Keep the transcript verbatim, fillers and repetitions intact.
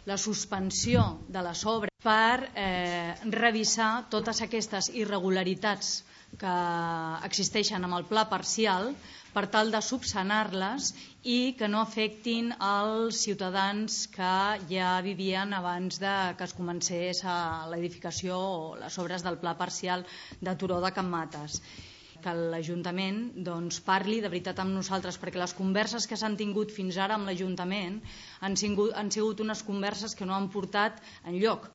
la suspensió de les obres per eh, revisar totes aquestes irregularitats que existeixen amb el pla parcial per tal de subsanar-les i que no afectin els ciutadans que ja vivien abans de que es comencés l'edificació o les obres del pla parcial de Turó de Can Mates. Que l'Ajuntament doncs, parli de veritat amb nosaltres, perquè les converses que s'han tingut fins ara amb l'Ajuntament han sigut, han sigut unes converses que no han portat enlloc.